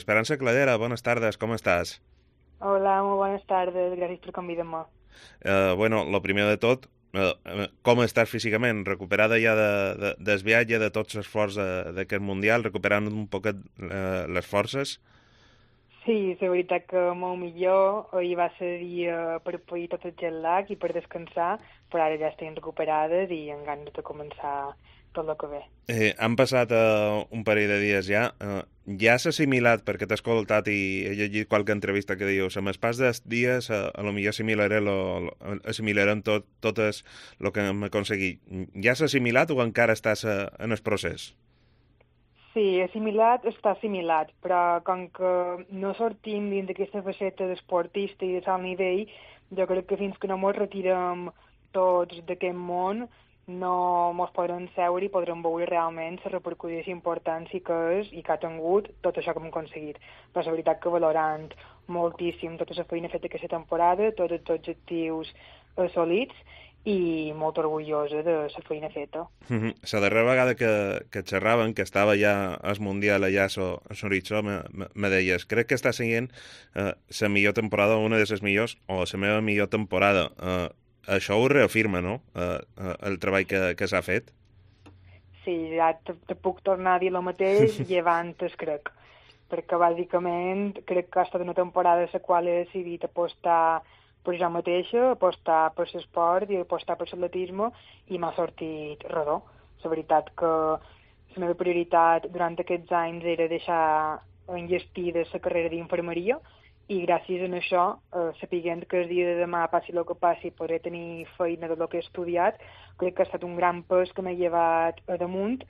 Esperanza Cladera, buenas tardes, ¿cómo estás? Hola, muy buenas tardes, gràcies per convidar-me. Bueno, lo primer de tot, com estàs físicament? Recuperada ja del viatge, de tots els esforç d'aquest Mundial, recuperant un poquet les forces? Sí, la veritat que molt millor. Ahir va ser dia per pair tot el jet lag i per descansar, però ara ja estem recuperades i amb ganes de començar tot el que ve. Han passat un parell de dies ja. Ja s'ha assimilat, perquè t'he escoltat i he llegit qualque entrevista que dius, amb el pas dels dies a lo millor assimilarem totes el que hem aconseguit. Ja s'ha assimilat o encara estàs en el procés? Sí, assimilat està assimilat, però com que no sortim dins d'aquesta faceta d'esportista i de tal nivell, jo crec que fins que no ens retirem tots d'aquest món, no ens podrem seure i podrem veure realment la repercussió i importància que és i que ha tingut tot això que hem aconseguit. Però la veritat que valorant moltíssim tota la feina feta aquesta temporada, tots els objectius assolits i molt orgullosa de la feina feta. La darrera vegada que xerraven, que estava ja al Mundial allà a l'horitzó, me deies, crec que està sent la millor temporada, una de les millors, o la meva millor temporada. Això ho reafirma, no?, el treball que s'ha fet. Sí, ja te puc tornar a dir el mateix llevant es crec, perquè bàsicament crec que ha estat una temporada en la qual he decidit apostar per jo mateixa, apostar per l'esport i apostar per l'atletisme i m'ha sortit redó. La veritat que la meva prioritat durant aquests anys era deixar enllestida la carrera d'infermeria i gràcies a això, sapiguent que el dia de demà, passi el que passi, podré tenir feina del que he estudiat, crec que ha estat un gran pes que m'ha llevat a damunt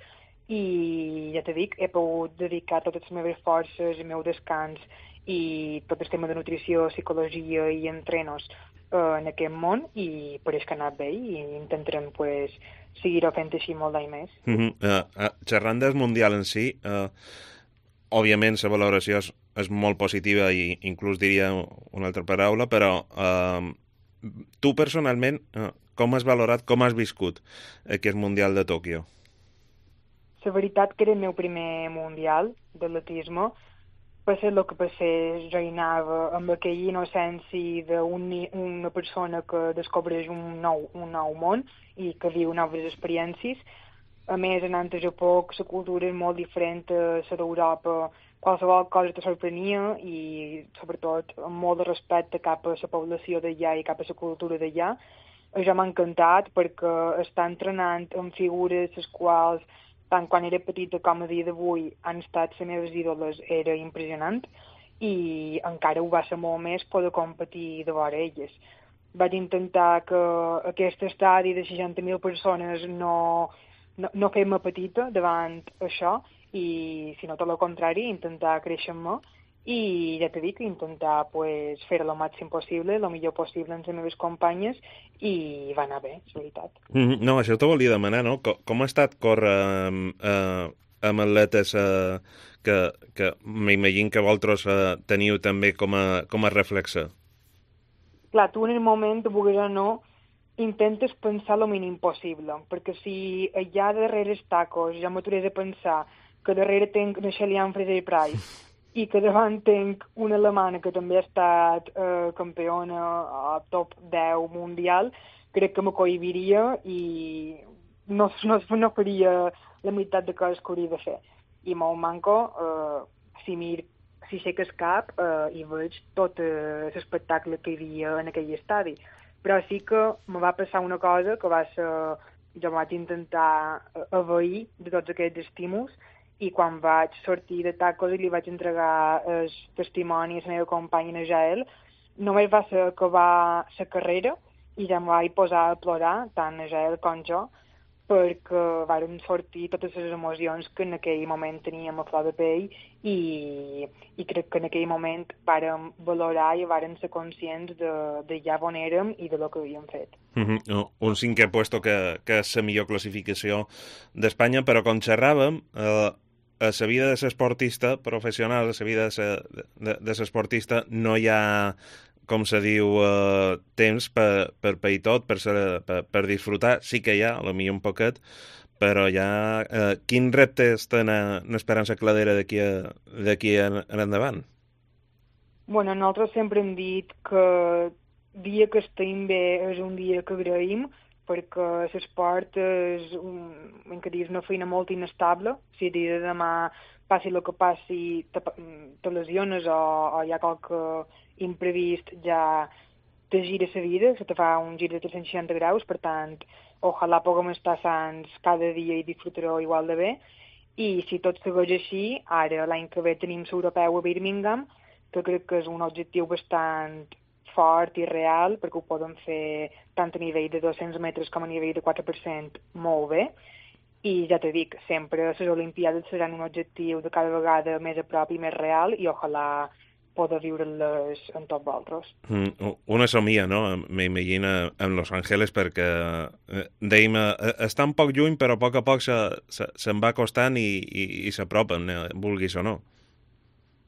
i ja t'he dit, he pogut dedicar totes les meves forces, el meu descans i tot el tema de nutrició, psicologia i entrenos en aquest món i pareix que ha anat bé i intentarem pues, seguir-ho fent així molt d'any més. Xerrant del Mundial en si, òbviament la valoració és molt positiva i inclús diria una altra paraula, però tu personalment, com has valorat, com has viscut aquest Mundial de Tòquio? La veritat que era el meu primer mundial d'atletisme, passés el que passés, jo hi anava amb aquella innocència d'una persona que descobreix un nou món i que viu noves experiències. A més, anant a Japó, que la cultura és molt diferent a la d'Europa, qualsevol cosa te sorprenia i, sobretot, amb molt de respecte cap a la població d'allà i cap a la cultura d'allà. Això m'ha encantat perquè està entrenant amb figures les quals tant quan era petita com a dia d'avui han estat les meves ídoles, era impressionant i encara ho va ser molt més poder competir de vora elles. Vaig intentar que aquest estadi de 60.000 persones no fer-me petita davant això i, si no tot el contrari, intentar créixer-me i ja t'he dit que intentar pues, fer el màxim possible, el millor possible amb les meves companyes i va anar bé, és veritat. No, això t'ho volia demanar, no? Com ha estat córrer amb atletes que m'imagino que vosaltres teniu també com a reflexe? Clar, tu en el moment, vulguis o no, intentes pensar el mínim possible, perquè si allà darrere els tacos ja m'aturés a pensar que darrere tenc una Shelley Fraser Price i que davant tenc una alemana que també ha estat campiona a top 10 mundial, crec que me cohibiria i no faria la meitat de coses que hauria de fer. I molt manco, si sé que és cap i veig tot l'espectacle que hi havia en aquell estadi. Però sí que me va passar una cosa que va ser... Jo vaig intentar evair de tots aquests estímuls i quan vaig sortir de tacos i li vaig entregar el testimoni a la meva companya Najael, només va ser acabar la carrera i ja em vaig posar a plorar, tant Najael com jo, perquè varen sortir totes les emocions que en aquell moment teníem a flor de pell i crec que en aquell moment vàrem valorar i vàrem ser conscients de ja on érem i de lo que havíem fet. Un cinquè puesto que és la millor classificació d'Espanya, però com xerràvem, a la vida de l'esportista professional, a la vida de l'esportista, no hi ha, com se diu, temps per pair tot, per disfrutar. Sí que hi ha, potser un poquet, Però ja, quins reptes tenen Esperança Cladera d'aquí en endavant? Bueno, nosaltres sempre hem dit que dia que estem bé és un dia que agraïm, perquè l'esport és una feina molt inestable. Si el dia de demà passi el que passi, te lesiones o hi ha qualque imprevist, ja te gira la vida, se te fa un gir de 360 graus, per tant, ojalà puguem estar sants cada dia i disfrutar-ho igual de bé. I si tot segueix així, ara l'any que ve tenim l'europeu a Birmingham, que crec que és un objectiu bastant fort i real, perquè ho podem fer tant a nivell de 200 metres com a nivell de 4% molt bé. I ja t'he dit, sempre les Olimpiades seran un objectiu de cada vegada més a prop i més real, i ojalà poder viure-les en tots vosaltres. Una somia, no? M'imagina en Los Angeles, perquè dèiem, està un poc lluny, però a poc se'n va acostant i s'apropen, vulguis o no.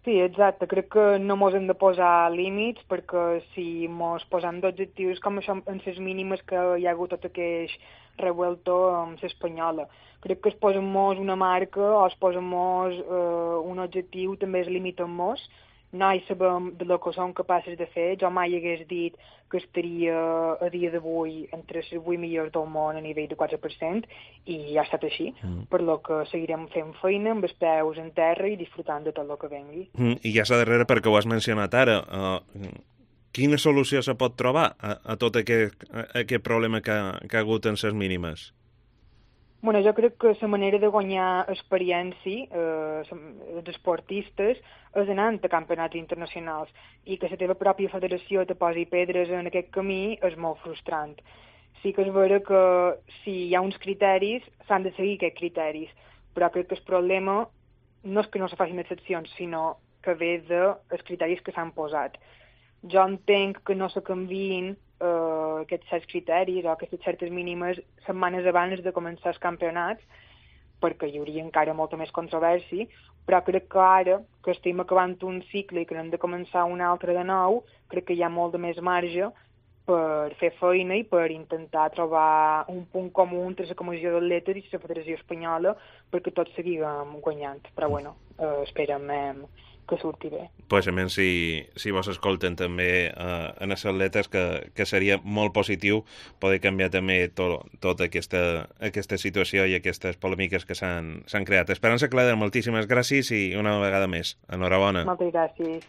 Sí, exacte. Crec que no mos hem de posar límits, perquè si mos posam d'objectius com això en les mínimes que hi ha hagut tot aquest revuelto amb l'espanyola. Crec que es posem mos una marca o es posem mos un objectiu, també es limiten mos. Noi sabem de lo que som capaces de fer. Jo mai hagués dit que estaria a dia d'avui entre les 8 millors del món a nivell de 4% i ha estat així, per lo que seguirem fent feina amb els peus en terra i disfrutant de tot el que vengui. I ja s'ha darrere, perquè ho has mencionat ara, quina solució se pot trobar a tot aquest problema que ha hagut en les mínimes? Bueno, jo crec que la manera de guanyar experiència els esportistes és anant a campionats internacionals, i que la teva pròpia federació te posi pedres en aquest camí és molt frustrant. Sí que és vera que si hi ha uns criteris, s'han de seguir aquests criteris, però crec que el problema no és que no se facin excepcions, sinó que ve dels criteris que s'han posat. Jo entenc que no se canviïn aquests certs criteris o aquestes certes mínimes setmanes abans de començar els campionats, perquè hi hauria encara molta més controvèrsia, però crec que ara, que estem acabant un cicle i que hem de començar un altre de nou, crec que hi ha molt de més marge per fer feina i per intentar trobar un punt comú entre la Comissió d'Atletes i la Federació Espanyola perquè tots seguim guanyant. Però bueno, esperem que surti bé. Pues a menys si vos escolten també en els atletes, que seria molt positiu poder canviar també tota aquesta situació i aquestes polèmiques que s'han creat. Esperança Cladera, moltíssimes gràcies i una vegada més, enhorabona. Moltes gràcies.